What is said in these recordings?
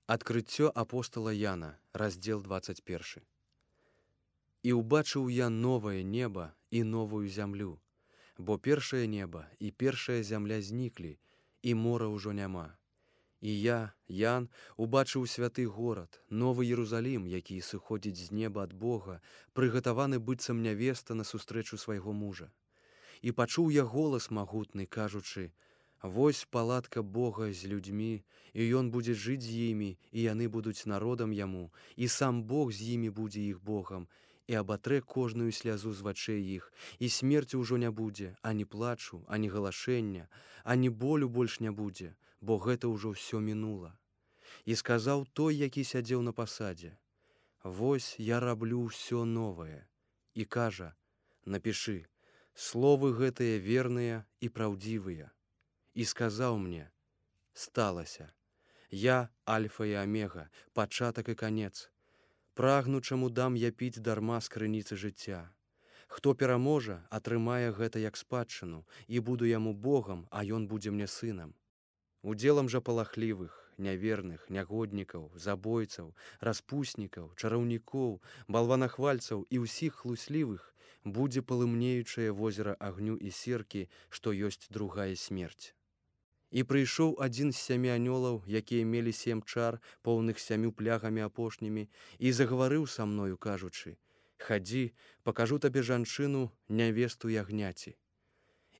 Адкрыццё апостала Яна, раздзел 21. І ўбачыў я новае неба і новую зямлю, бо першае неба і першая зямля зніклі, і мора ўжо няма. І я, Ян, убачыў святы горад, новы Єрусалім, які сыходзіць з неба ад Бога, прыгатаваны быццам нявеста на сустрэчу свайго мужа. І пачуў я голас магутны, кажучы: «Вось палатка Бога з людзьмі, і ён будзе жыць з імі, і яны будуць народам яму, і сам Бог з імі будзе іх Богам, і абатрэ кожную слязу з вачэй іх, і смерці ўжо не будзе, ані плачу, ані галашэння, ані болю больш не будзе, бо гэта ўжо ўсё мінула». І сказаў той, які сядзеў на пасадзе: «Вось я раблю ўсё новае». І кажа: «Напішы, словы гэтыя верныя і праўдзівыя». І сказаў мне: «Сталася. Я альфа і омега, пачатак і канец. Прагнучаму дам я піць дарма з крыніцы жыцця. Хто пераможа, атрымае гэта як спадчыну, і буду яму Богам, а ён будзе мне сынам. Удзелам жа палахлівых, няверных, нягоднікаў, забойцаў, распуснікаў, чараўнікоў, балванахвальцаў і ўсіх хлуслівых будзе палымнеючае возера агню і серкі, што ёсць другая смерць». І прыйшоў адзін з 7 анёлаў, якія мелі 7 чар, поўных 7 плягамі апошнімі, і загаварыў са мною, кажучы: «Хадзі, пакажу табе жанчыну, нявесту ягняці».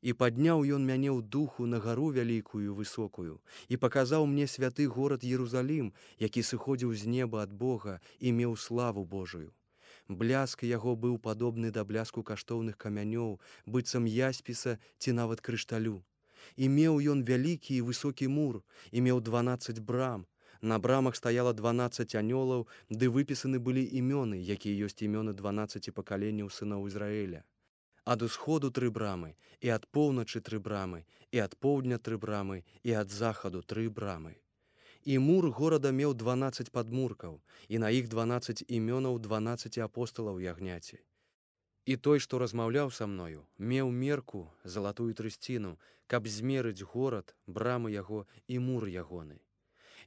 І падняў ён мяне ў духу на гару вялікую высокую, і паказаў мне святы горад Єрусалім, які сыходзіў з неба ад Бога і меў славу Божую. Бляск яго быў падобны да бляску каштоўных камянёў, быццам яспіса ці нават крышталю. І меў ён вялікі і высокі мур, і меў 12 брам. На брамах стаяла 12 анёлаў, ды выпісаны былі імёны, якія ёсць імёны 12 пакаленняў сыноў Ізраэля. Ад усходу 3 брамы, і ад поўначы 3 брамы, і ад поўдня 3 брамы, і ад захаду 3 брамы. І мур горада меў 12 падмуркаў, і на іх 12 імёнаў 12 апосталаў ягняці. І той, што размаўляў са мною, меў мерку, залатую трысціну, каб змерыць горад, брамы яго і мур ягоны.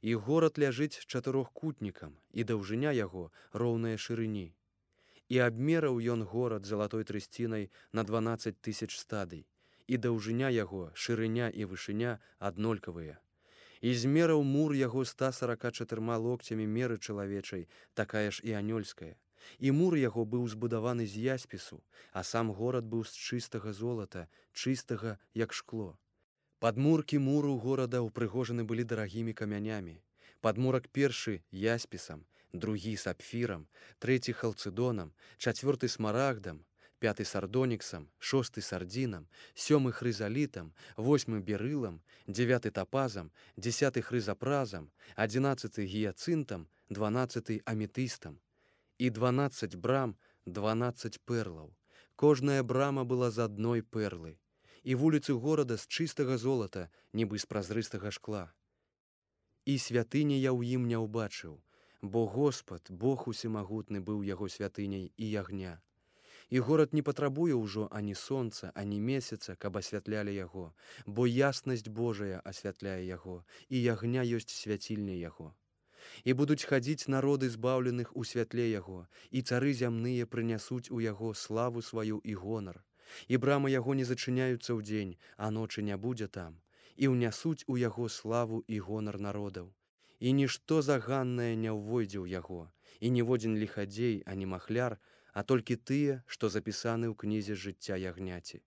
І горад ляжыць чатырохкутнікам, і даўжыня яго роўная шырыні. І абмераў ён горад залатой трысцінай на 12 000 стадый, і даўжыня яго, шырыня і вышыня аднолькавыя. І змераў мур яго 144 локцямі меры чалавечай, такая ж і анёльская. І мур яго быў збудаваны з яспісу, а сам горад быў з чыстага золата, чыстага, як шкло. Падмуркі муру горада ўпрыгожаны былі дарагімі камянямі. Падмурак першы яспісам, другі сапфірам, трэці халцыдонам, чацвёрты смарагдам, 5 сардоніксам, 6 сардзінам, 7 хрызалітам, 8 берылам, 9 тапазам, 10 хрызапразам, 11 гіяцынтам, 12 аметыстам. І 12 брам, 12 перлаў. Кожная брама была з адной перлы. І вуліцы горада з чыстага золата, нібы з празрыстага шкла. І святыні я ў ім не ўбачыў, бо Господ, Бог усемагутны, быў яго святыняй і ягня. І горад не патрабуе ўжо ані сонца, ані месяца, каб асвятлялі яго, бо яснасць Божая асвятляе яго, і ягня ёсць свяцільня яго. І будуць хадзіць народы збаўленых у святле яго, і цары зямныя прынясуць у яго славу сваю і гонар. І брамы яго не зачыняюцца ўдзень, а ночы не будзе там, і ўнясуць у яго славу і гонар народаў. І нішто заганнае не ўвойдзе ў яго, і ніводзін ліхадзей, ані махляр, а толькі тыя, што запісаны ў кнізе жыцця ягняці.